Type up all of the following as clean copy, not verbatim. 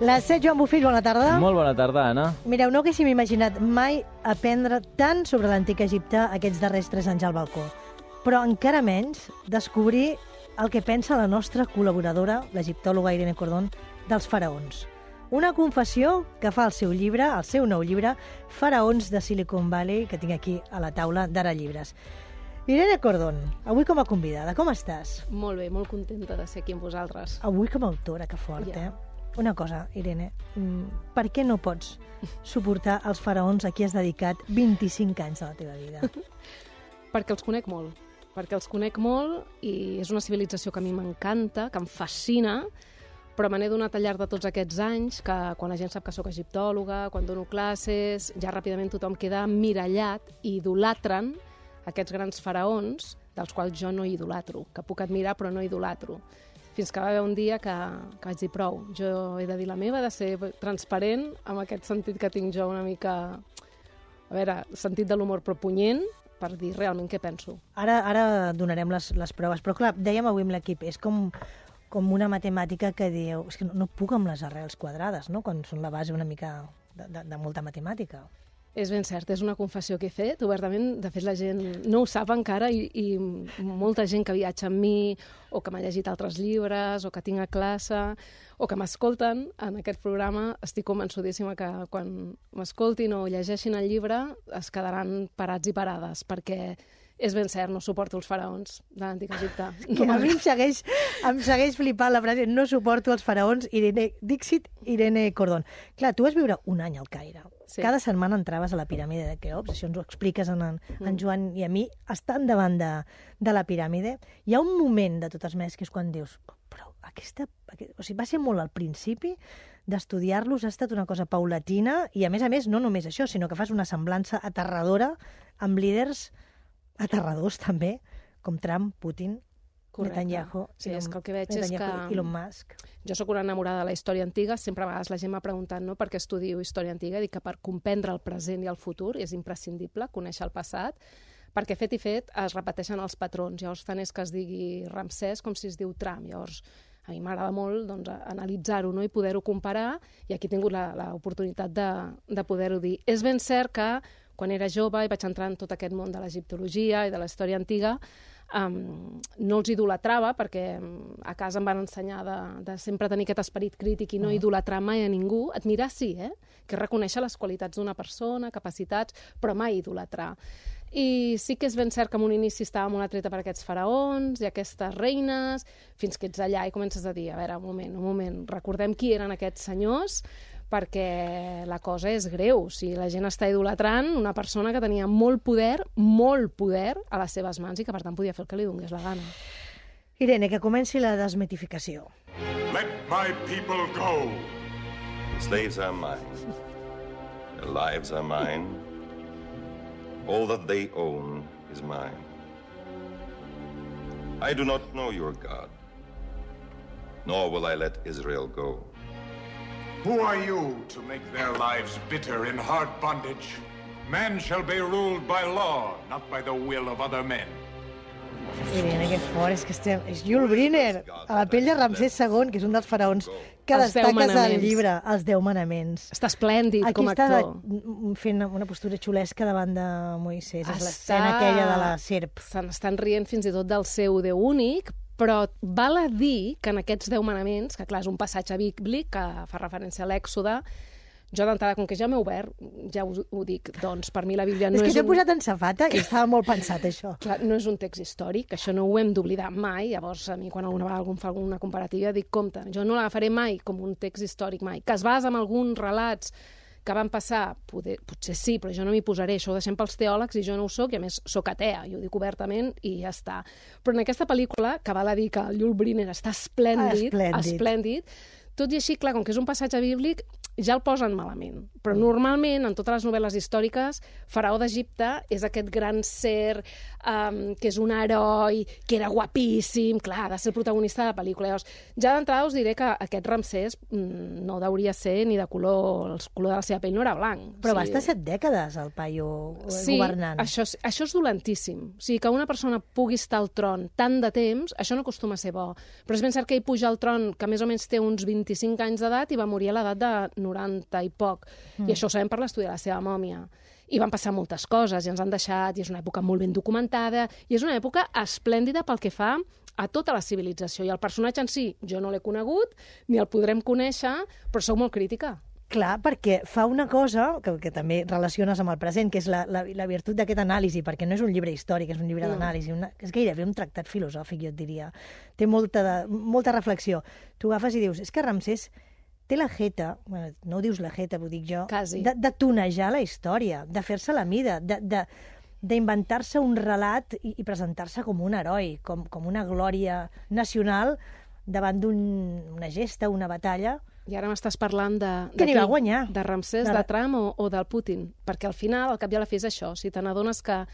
La Set Joan Bofill, bona tarda. Molt bona tarda, Anna. Mireu, no haguéssim imaginat mai aprendre tant sobre l'antic Egipte aquests darrers 3 anys al balcó. Però encara menys descobrir el que pensa la nostra col·laboradora, l'egiptòloga Irene Cordón, dels faraons. Una confessió que fa el seu llibre, el seu nou llibre, Faraons de Silicon Valley, que tinc aquí a la taula d'Ara Llibres. Irene Cordón, avui com a convidada, com estàs? Molt bé, molt contenta de ser aquí amb vosaltres. Avui com a autora, que fort, Una cosa, Irene, per què no pots suportar els faraons a qui has dedicat 25 anys de la teva vida? Perquè els conec molt. Perquè els conec molt i és una civilització que a mi m'encanta, que em fascina, però me n'he donat al llarg de tots aquests anys que quan la gent sap que sóc egiptòloga, quan dono classes, ja ràpidament tothom queda emmirallat i idolatren aquests grans faraons, dels quals jo no idolatro, que puc admirar però no idolatro. Fins que va haver un dia que vaig dir prou. Jo he de dir la meva, de ser transparent amb aquest sentit que tinc jo una mica... A veure, sentit de l'humor però punyent, per dir realment què penso. Ara donarem les proves, però clar, dèiem avui amb l'equip, és com una matemàtica que dieu, és que no puc amb les arrels quadrades, no?, quan són la base una mica de molta matemàtica. És ben cert, és una confessió que he fet, obertament. De fet, la gent no ho sap encara i molta gent que viatja amb mi o que m'ha llegit altres llibres o que tinc a classe o que m'escolten en aquest programa, estic convençudíssima que quan m'escoltin o llegeixin el llibre es quedaran parats i parades, perquè és ben cert, no suporto els faraons de l'antic Egipte. A mi em segueix flipant la frase no suporto els faraons, Dixit Irene Cordón. Clar, tu vas viure un any al Caire. Sí. Cada setmana entraves a la piràmide de Keops, això ens ho expliques en Joan i a mi, estant davant de la piràmide. Hi ha un moment de totes maneres que és quan dius, però o sigui, va ser molt al principi d'estudiar-los, ha estat una cosa paulatina i a més, no només això, sinó que fas una semblança aterradora amb líders aterradors també, com Trump, Putin, Netanyahu, sí, és que el que veig és que Elon Musk. Jo sóc una enamorada de la història antiga, sempre a vegades la gent m'ha preguntat per què estudio història antiga, dic que per comprendre el present i el futur és imprescindible conèixer el passat, perquè fet i fet es repeteixen els patrons, llavors tant és que es digui Ramsès com si es diu Trump, llavors a mi m'agrada molt analitzar-ho i poder-ho comparar, i aquí he tingut l'oportunitat de poder-ho dir. És ben cert que quan era jove i vaig entrar en tot aquest món de l'egiptologia i de la història antiga, no els idolatrava perquè a casa em van ensenyar de sempre tenir aquest esperit crític i no idolatrar mai a ningú. Admirar sí, que reconèixer les qualitats d'una persona, capacitats, però mai idolatrar. I sí que és ben cert que en un inici estava molt atreta per aquests faraons i aquestes reines, fins que ets allà i comences a dir, a veure, un moment, recordem qui eren aquests senyors, perquè la cosa és greu. Si la gent està idolatrant una persona que tenia molt poder a les seves mans i que per tant podia fer el que li donés la gana. Irene, que comenci la desmitificació. Let my people go. The slaves are mine. Their lives are mine. All that they own is mine. I do not know your God, nor will I let Israel go. Who are you to make their lives bitter in hard bondage? Men shall be ruled by law, not by the will of other men. Irene, que fort, és Yul Brynner, a la pell de Ramsès II, que és un dels faraons que destaques al llibre, els 10 manaments. Està esplèndid com a actor. Aquí està fent una postura xulesca davant de Moisès, és l'escena aquella de la serp. Se n'estan rient fins i tot del seu Déu únic, però val a dir que en aquests 10 manaments, que clar, és un passatge bíblic que fa referència a l'Èxode, jo d'entrada, com que ja m'he obert, ja ho dic, doncs per mi la Bíblia no és... És que t'he posat en safata i estava molt pensat, això. Clar, no és un text històric, això no ho hem d'oblidar mai, llavors a mi quan alguna vegada algú em fa alguna comparativa dic, compte, jo no l'agafaré mai com un text històric mai, que es basa en alguns relats que van passar, potser sí, però jo no m'hi posaré, això ho deixem pels teòlegs i jo no ho soc, i a més soc atea, i ho dic obertament i ja està. Però en aquesta pel·lícula, que val a dir que el Yul Brynner està esplèndid, tot i així, clar, com que és un passatge bíblic, ja el posen malament. Però normalment, en totes les novel·les històriques, Faraó d'Egipte és aquest gran ser que és un heroi, que era guapíssim, clar, ha de ser el protagonista de la pel·lícula. Llavors, ja d'entrada us diré que aquest Ramsès no hauria ser ni de color, el color de la seva pell no era blanc. Però va estar 7 dècades el paio governant. Sí, això és dolentíssim. O sigui, que una persona pugui estar al tron tant de temps, això no acostuma a ser bo. Però és ben cert que ell puja al tron, que més o menys té uns 25 anys d'edat, i va morir a l'edat de 90 i poc. I això ho sabem per l'estudi de la seva mòmia. I van passar moltes coses, i ens han deixat, i és una època molt ben documentada, i és una època esplèndida pel que fa a tota la civilització. I el personatge en si, jo no l'he conegut, ni el podrem conèixer, però sóc molt crítica. Clar, perquè fa una cosa que també relaciones amb el present, que és la virtut d'aquest anàlisi, perquè no és un llibre històric, és un llibre d'anàlisi, és gairebé un tractat filosòfic, jo et diria. Té molta reflexió. Tu agafes i dius, és que Ramsès té la jeta, bueno, no ho dius la jeta, ho dic jo, de tonejar la història, de fer-se la mida, d'inventar-se un relat i presentar-se com un heroi, com una glòria nacional davant d'una gesta, una batalla. I ara m'estàs parlant que n'hi va guanyar. De Ramsès, de Trump o del Putin. Perquè al final, al cap i a la fi és això. Si te n'adones que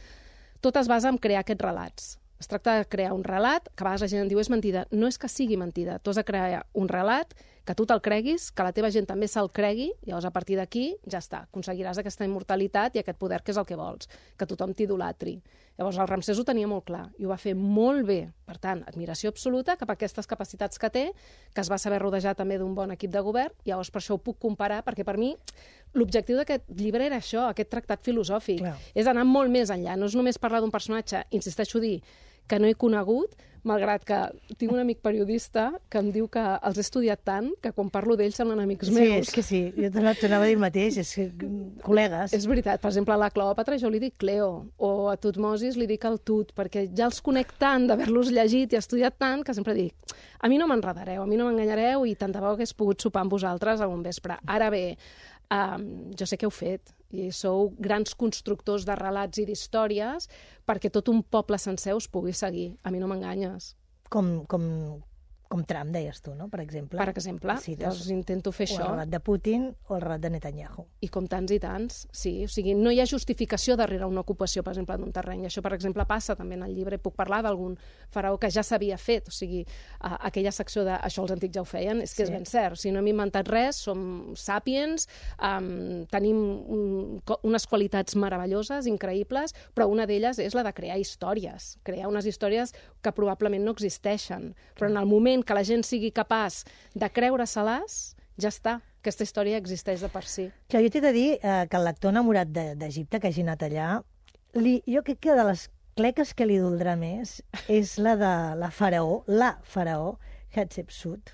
tot es basa en crear aquests relats. Es tracta de crear un relat, que a vegades la gent en diu és mentida. No és que sigui mentida. Tu has de crear un relat que tu te'l creguis, que la teva gent també se'l cregui, i llavors a partir d'aquí ja està. Aconseguiràs aquesta immortalitat i aquest poder que és el que vols, que tothom t'idolatri. Llavors el Ramsès ho tenia molt clar i ho va fer molt bé. Per tant, admiració absoluta cap a aquestes capacitats que té, que es va saber rodejar també d'un bon equip de govern, i llavors per això ho puc comparar, perquè per mi l'objectiu d'aquest llibre era això, aquest tractat filosòfic. Clar. És anar molt més enllà, no és només parlar d'un personatge, insisteixo a dir, que no he conegut, malgrat que tinc un amic periodista que em diu que els he estudiat tant que quan parlo d'ells semblen amics meus. Sí, és que sí, jo t'anava a dir el mateix, és que col·legues. És veritat, per exemple, a la Cleòpatra jo li dic Cleo, o a Tutmosis li dic el Tut, perquè ja els conec tant d'haver-los llegit i estudiat tant que sempre dic, a mi no m'enredareu, a mi no m'enganyareu i tant de bo hagués pogut sopar amb vosaltres a un vespre. Ara bé, jo sé que heu fet, i sou grans constructors de relats i d'històries perquè tot un poble sencer us pugui seguir. A mi no m'enganyes. Com Trump, deies tu, no? Per exemple. Per exemple, llavors intento fer això. O el relat de Putin o el relat de Netanyahu. I com tants i tants, sí. O sigui, no hi ha justificació darrere una ocupació, per exemple, d'un terreny. Això, per exemple, passa també en el llibre. Puc parlar d'algun faraó que ja s'havia fet. O sigui, aquella secció de això els antics ja ho feien, és que és ben cert. O sigui, no hem inventat res, som sàpiens, tenim unes qualitats meravelloses, increïbles, però una d'elles és la de crear històries. Crear unes històries que probablement no existeixen. Però en el moment que la gent sigui capaç de creure-se-les, ja està. Aquesta història existeix de per si. Clar, jo t'he de dir que el lector enamorat d'Egipte que hagi anat allà, jo crec que de les cleques que li doldrà més és la de la faraó Hatshepsut.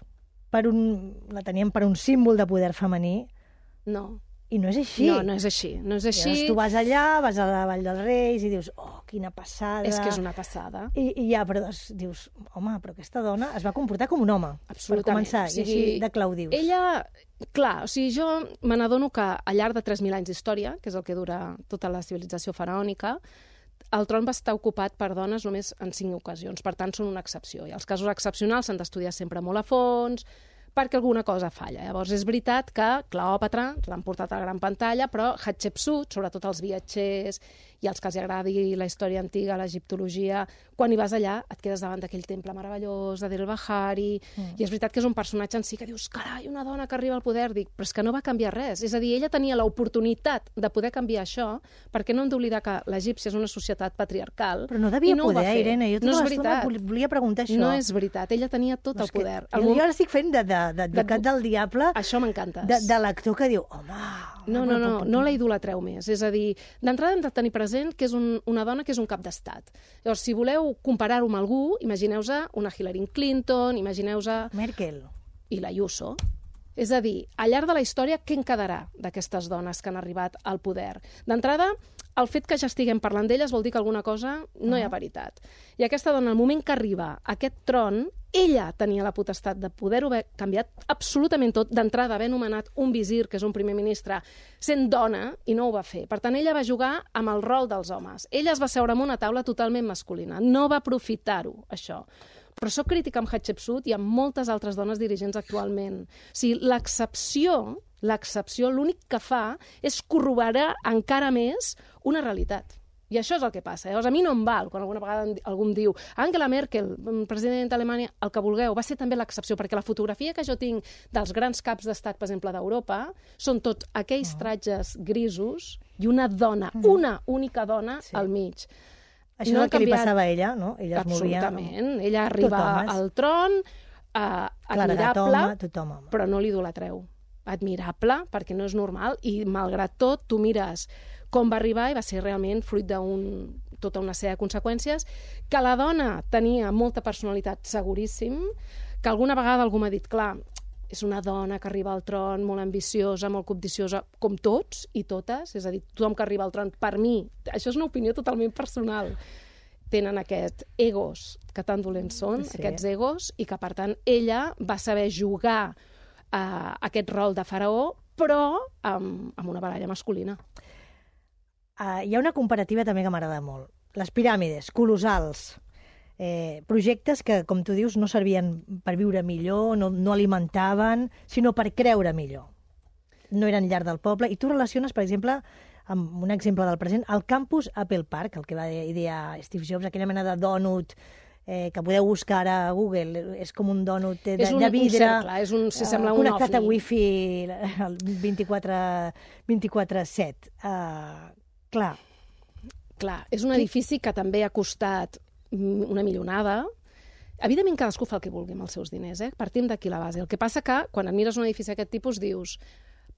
La tenien per un símbol de poder femení. No. I no és així. No, no és així. No és així. Llavors tu vas allà, vas a la Vall dels Reis i dius, oh, quina passada. És que és una passada. I ja, però dius, home, però aquesta dona es va comportar com un home. Absolutament. Per començar, i així de clau dius. Ella, clar, o sigui, jo me n'adono que al llarg de 3.000 anys d'història, que és el que dura tota la civilització faraònica, el tron va estar ocupat per dones només en 5 ocasions, per tant són una excepció. I els casos excepcionals s'han d'estudiar sempre molt a fons, perquè alguna cosa falla. Llavors, és veritat que Cleòpatra l'han portat a la gran pantalla, però Hatshepsut, sobretot els viatgers i els que els agradi la història antiga, l'egiptologia, quan hi vas allà et quedes davant d'aquell temple meravellós, de Del Bahari, i és veritat que és un personatge en si que dius, carai, una dona que arriba al poder, dic, però és que no va canviar res. És a dir, ella tenia l'oportunitat de poder canviar això, perquè no hem d'oblidar que l'Egipci és una societat patriarcal. Però no devia poder, Irene, jo tota l'estona volia preguntar això. No és veritat, ella tenia tot el poder. Jo ara estic fent d'advocat del diable. Això m'encantes. De l'actor que diu, home... No la idolatreu més. És a dir, d'entrada hem de tenir present que és una dona que és un cap d'estat. Llavors, si voleu comparar-ho amb algú, imagineu-vos una Hillary Clinton, imagineu-vos... Merkel. I l'Ayuso. És a dir, al llarg de la història, què en quedarà d'aquestes dones que han arribat al poder? D'entrada, el fet que ja estiguem parlant d'elles vol dir que alguna cosa no hi ha veritat. I aquesta dona, al moment que arriba a aquest tron, ella tenia la potestat de poder-ho haver canviat absolutament tot, d'entrada haver nomenat un visir, que és un primer ministre, sent dona, i no ho va fer. Per tant, ella va jugar amb el rol dels homes. Ella es va seure en una taula totalment masculina. No va aprofitar-ho, això. Però soc crítica amb Hatshepsut i amb moltes altres dones dirigents actualment. O sigui, l'excepció L'excepció l'únic que fa és corroborar encara més una realitat. I això és el que passa. Llavors, a mi no em val quan alguna vegada algú em diu Angela Merkel, president d'Alemanya, el que vulgueu, va ser també l'excepció, perquè la fotografia que jo tinc dels grans caps d'estat, per exemple, d'Europa, són tots aquells tratges grisos i una dona, una única dona al mig. Això és el que li passava a ella, no? Ella es movia... Absolutament. Ella arriba al tron, admirable, però no l'idolatreu. Admirable, perquè no és normal, i malgrat tot, tu mires com va arribar i va ser realment fruit tota una sèrie de conseqüències, que la dona tenia molta personalitat, seguríssim, que alguna vegada algú m'ha dit, clar, és una dona que arriba al tron molt ambiciosa, molt codiciosa, com tots i totes, és a dir, tothom que arriba al tron, per mi, això és una opinió totalment personal, tenen aquests egos que tan dolents són, aquests egos, i que, per tant, ella va saber jugar aquest rol de faraó, però amb una baralla masculina. Hi ha una comparativa també que m'agrada molt. Les piràmides, colossals, projectes que, com tu dius, no servien per viure millor, no alimentaven, sinó per creure millor. No eren llar del poble. I tu relaciones, per exemple, amb un exemple del present, el campus Apple Park, el que va idear Steve Jobs, aquella mena de dònut que podeu buscar a Google, és com un dònut de vidre, connectat a wifi el 24/7. Clar, és un edifici que també ha costat una milionada. Evidentment, cadascú fa el que vulgui amb els seus diners, partim d'aquí la base. El que passa que, quan admires un edifici d'aquest tipus, dius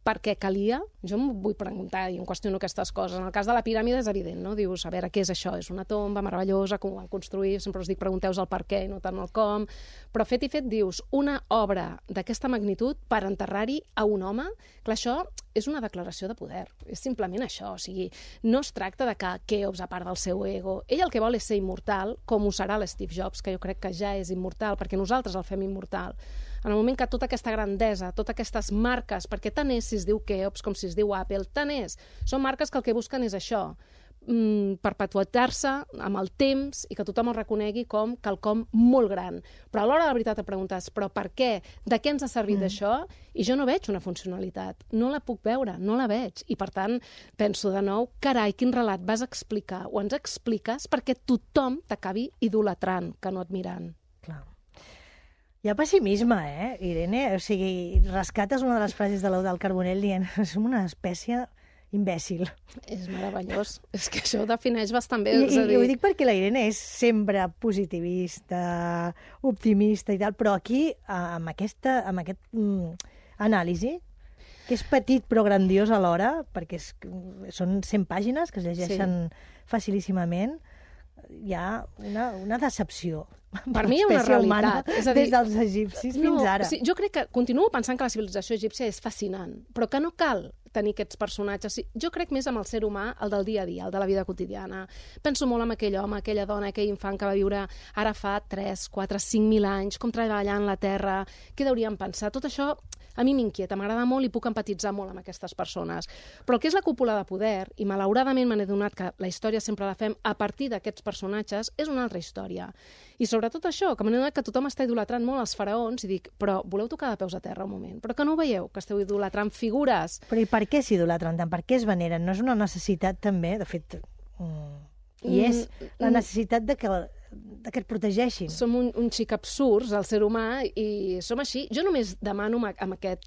per què calia? Jo em vull preguntar i em qüestiono aquestes coses. En el cas de la piràmide és evident, no? Dius, a veure, què és això? És una tomba meravellosa, com ho van construir? Sempre us dic, pregunteu-vos el per què i no tant el com. Però fet i fet, dius, una obra d'aquesta magnitud per enterrar-hi a un home? Clar, això és una declaració de poder. És simplement això. O sigui, no es tracta de que Keops, a part del seu ego, ell el que vol és ser immortal, com ho serà l'Steve Jobs, que jo crec que ja és immortal, perquè nosaltres el fem immortal. En el moment que tota aquesta grandesa, totes aquestes marques, perquè tant és si es diu Keops com si es diu Apple, tant és. Són marques que el que busquen és això, perpetuar-se amb el temps i que tothom el reconegui com quelcom molt gran. Però a l'hora de la veritat et preguntes, però per què? De què ens ha servit això? I jo no veig una funcionalitat. No la puc veure, no la veig. I per tant, penso de nou, carai, quin relat vas explicar o ens expliques perquè tothom t'acabi idolatrant, que no admirant. Clar. Hi ha pessimisme, Irene? O sigui, rescates una de les frases de l'Eudald Carbonell dient som una espècie imbècil. És meravellós. És que això ho defineix bastant bé. I ho dic perquè la Irene és sempre positivista, optimista i tal, però aquí, amb aquest anàlisi, que és petit però grandiós alhora, perquè són 100 pàgines que es llegeixen facilíssimament, hi ha una decepció. Per mi hi ha una realitat. És a dir, des dels egipcis fins ara. Sí, jo crec que continuo pensant que la civilització egípcia és fascinant, però que no cal tenir aquests personatges. Jo crec més amb el ser humà, el del dia a dia, el de la vida quotidiana. Penso molt en aquell home, aquella dona, aquell infant que va viure ara fa 3, 4, 5.000 anys, com treballant la terra, què deurien pensar? Tot això a mi m'inquieta, m'agrada molt i puc empatitzar molt amb aquestes persones. Però el que és la cúpula de poder, i malauradament me n'he donat que la història sempre la fem a partir d'aquests personatges, és una altra història. I sobretot això, que me n'he donat que tothom està idolatrant molt els faraons, i dic, però voleu tocar de peus a terra un moment? Però que no ho veieu, que esteu idolatrant figures? Però i per què s'idolatren tant? Per què es veneren? No és una necessitat també, de fet, i és la necessitat de que et protegeixin. Som un xic absurds, el ser humà, i som així. Jo només demano amb aquest,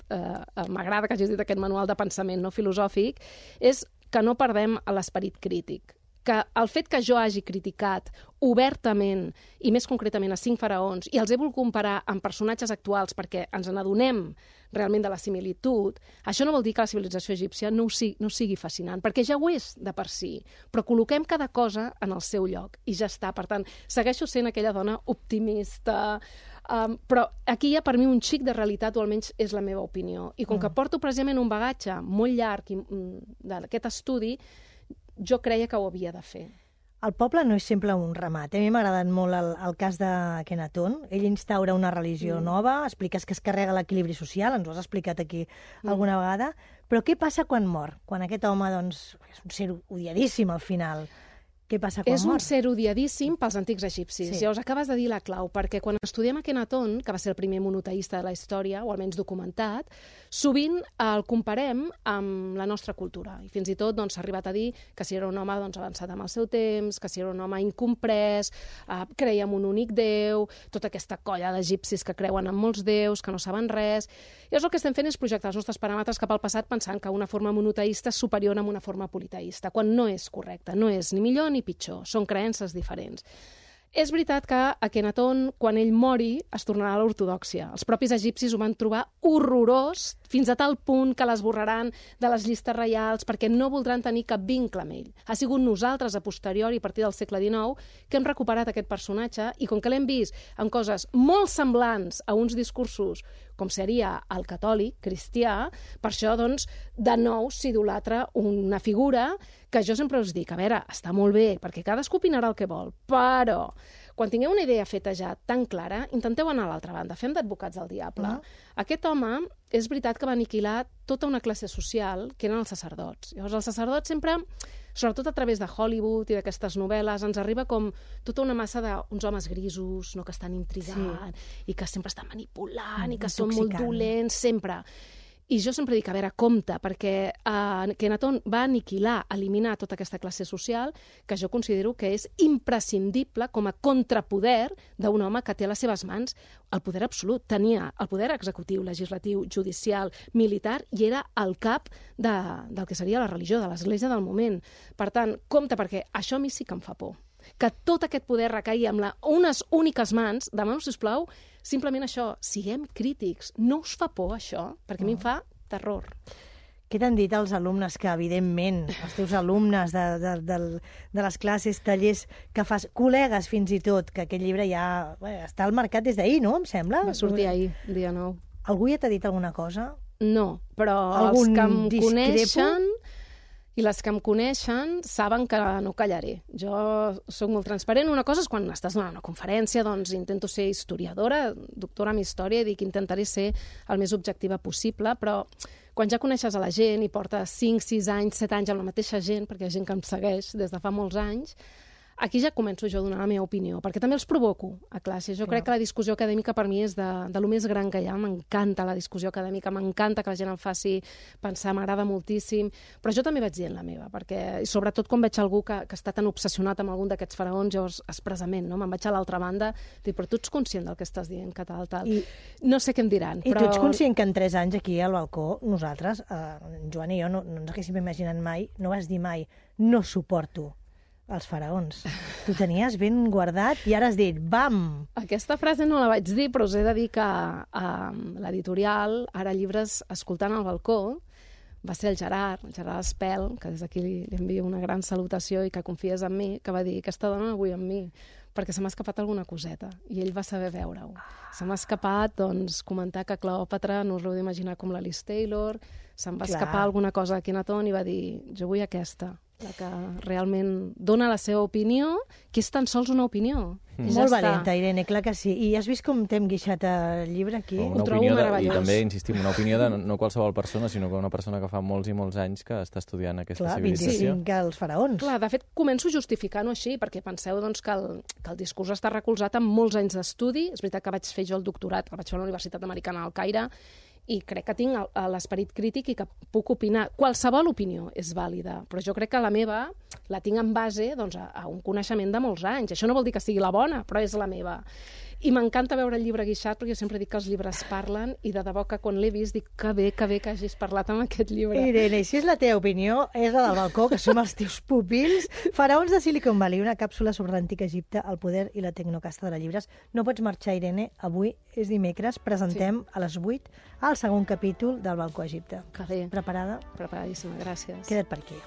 m'agrada que hagis dit aquest manual de pensament no filosòfic, és que no perdem l'esperit crític. Que el fet que jo hagi criticat obertament, i més concretament a 5 faraons, i els he volgut comparar amb personatges actuals perquè ens n'adonem realment de la similitud, això no vol dir que la civilització egípcia no sigui fascinant, perquè ja ho és de per si, però col·loquem cada cosa en el seu lloc, i ja està. Per tant, segueixo sent aquella dona optimista, però aquí hi ha per mi un xic de realitat, o almenys és la meva opinió. I com que porto precisament un bagatge molt llarg d'aquest estudi, jo creia que ho havia de fer. El poble no és sempre un ramat. A mi m'ha agradat molt el cas de Kenaton. Ell instaura una religió nova, expliques que es carrega l'equilibri social, ens ho has explicat aquí alguna vegada, però què passa quan mor? Quan aquest home, doncs, és un ser odiadíssim al final. què passa quan És mor? un ser odiadíssim pels antics egipcis. Sí. Llavors, acabes de dir la clau, perquè quan estudiem Akhenaton, que va ser el primer monoteista de la història, o almenys documentat, sovint el comparem amb la nostra cultura. I fins i tot s'ha arribat a dir que si era un home avançat amb el seu temps, que si era un home incomprès, creia en un únic déu, tota aquesta colla d'egipcis que creuen en molts déus, que no saben res. I el que estem fent és projectar els nostres paràmetres cap al passat pensant que una forma monoteista és superior a una forma politeista, quan no és correcte, no és ni millor ni pitjor, són creences diferents. És veritat que Akhenaton, quan ell mori, es tornarà a l'ortodòxia. Els propis egipcis ho van trobar horrorós, fins a tal punt que l'esborraran de les llistes reials perquè no voldran tenir cap vincle amb ell. Ha sigut nosaltres, a posteriori, a partir del segle XIX, que hem recuperat aquest personatge i com que l'hem vist en coses molt semblants a uns discursos com seria el catòlic, cristià, per això, doncs, de nou s'idolatra una figura que jo sempre us dic, a veure, està molt bé, perquè cadascú opinarà el que vol, però quan tingueu una idea feta ja tan clara, intenteu anar a l'altra banda, fem d'advocats del diable. Aquest home, és veritat que va aniquilar tota una classe social, que eren els sacerdots. Llavors, els sacerdots sempre, sobretot a través de Hollywood i d'aquestes novel·les, ens arriba com tota una massa d'uns homes grisos, no, que estan intrigant, i que sempre estan manipulant, i que són molt dolents, sempre. I jo sempre dic, a veure, compte, perquè Akhenaton va aniquilar, eliminar tota aquesta classe social que jo considero que és imprescindible com a contrapoder d'un home que té a les seves mans el poder absolut. Tenia el poder executiu, legislatiu, judicial, militar, i era el cap del que seria la religió, de l'església del moment. Per tant, compte, perquè això a mi sí que em fa por. Que tot aquest poder recaigui amb unes úniques mans. Demaneu, sisplau, simplement això, siguem crítics. No us fa por, això? Perquè a mi em fa terror. Què t'han dit els alumnes que, evidentment, els teus alumnes de les classes, tallers que fas, col·legues fins i tot, que aquest llibre ja està al mercat des d'ahir, no?, em sembla? Va sortir ahir, dia 9. Algú ja t'ha dit alguna cosa? No, però els que em coneixen i les que em coneixen saben que no callaré. Jo sóc molt transparent. Una cosa és quan estàs donant una conferència, doncs intento ser historiadora, doctora en història, i dic intentaré ser el més objectiva possible, però quan ja coneixes a la gent i portes 5, 6 anys, 7 anys amb la mateixa gent, perquè hi ha gent que em segueix des de fa molts anys, aquí ja començo jo a donar la meva opinió, perquè també els provoco a classe. Jo crec que la discussió acadèmica per mi és de lo més gran que hi ha. M'encanta la discussió acadèmica, m'encanta que la gent em faci pensar, m'agrada moltíssim, però jo també vaig dient la meva, perquè sobretot quan veig algú que està tan obsessionat amb algun d'aquests faraons, llavors expressament, no? Me'n vaig a l'altra banda, dic, però tu ets conscient del que estàs dient, que tal. No sé què em diran, però... I tu ets conscient que en 3 anys aquí al balcó, nosaltres, en Joan i jo, no ens haguéssim imaginat mai, no vas dir mai, no suporto els faraons. Tu tenies ben guardat i ara has dit, bam! Aquesta frase no la vaig dir, però us he de dir que l'editorial, Ara Llibres Escoltant al Balcó, va ser el Gerard Espel, que des d'aquí li envio una gran salutació i que confies en mi, que va dir, aquesta dona avui amb mi, perquè se m'ha escapat alguna coseta, i ell va saber veure-ho. Se m'ha escapat, doncs, comentar que Cleòpatra no us l'heu d'imaginar com la Liz Taylor, se'm va escapar alguna cosa a Akhenaton i va dir, jo vull aquesta, la que realment dona la seva opinió, que és tan sols una opinió. Molt valenta, Irene, clar que sí. I has vist com t'hem guixat el llibre aquí? Una opinió i també, insistim, una opinió de no qualsevol persona, sinó que una persona que fa molts i molts anys que està estudiant aquesta civilització. 25 als faraons. Clar, de fet, començo justificant-ho així, perquè penseu doncs, que el discurs està recolzat en molts anys d'estudi. És veritat que vaig fer jo el doctorat, el vaig fer a la Universitat Americana al Caire, i crec que tinc l'esperit crític i que puc opinar. Qualsevol opinió és vàlida, però jo crec que la meva la tinc en base doncs, a un coneixement de molts anys. Això no vol dir que sigui la bona, però és la meva. I m'encanta veure el llibre guixat, perquè jo sempre dic que els llibres parlen, i de debò que quan l'he vist dic que bé que hagis parlat amb aquest llibre. Irene, si és la teva opinió, és la del balcó, que som els teus pupils. Faraons de Silicon Valley, una càpsula sobre l'antic Egipte, el poder i la tecnocasta de les llibres. No pots marxar, Irene. Avui és dimecres, presentem a les 8 el segon capítol del Balcó Egipte. Que bé. Preparada? Preparadíssima, gràcies. Queda't per aquí.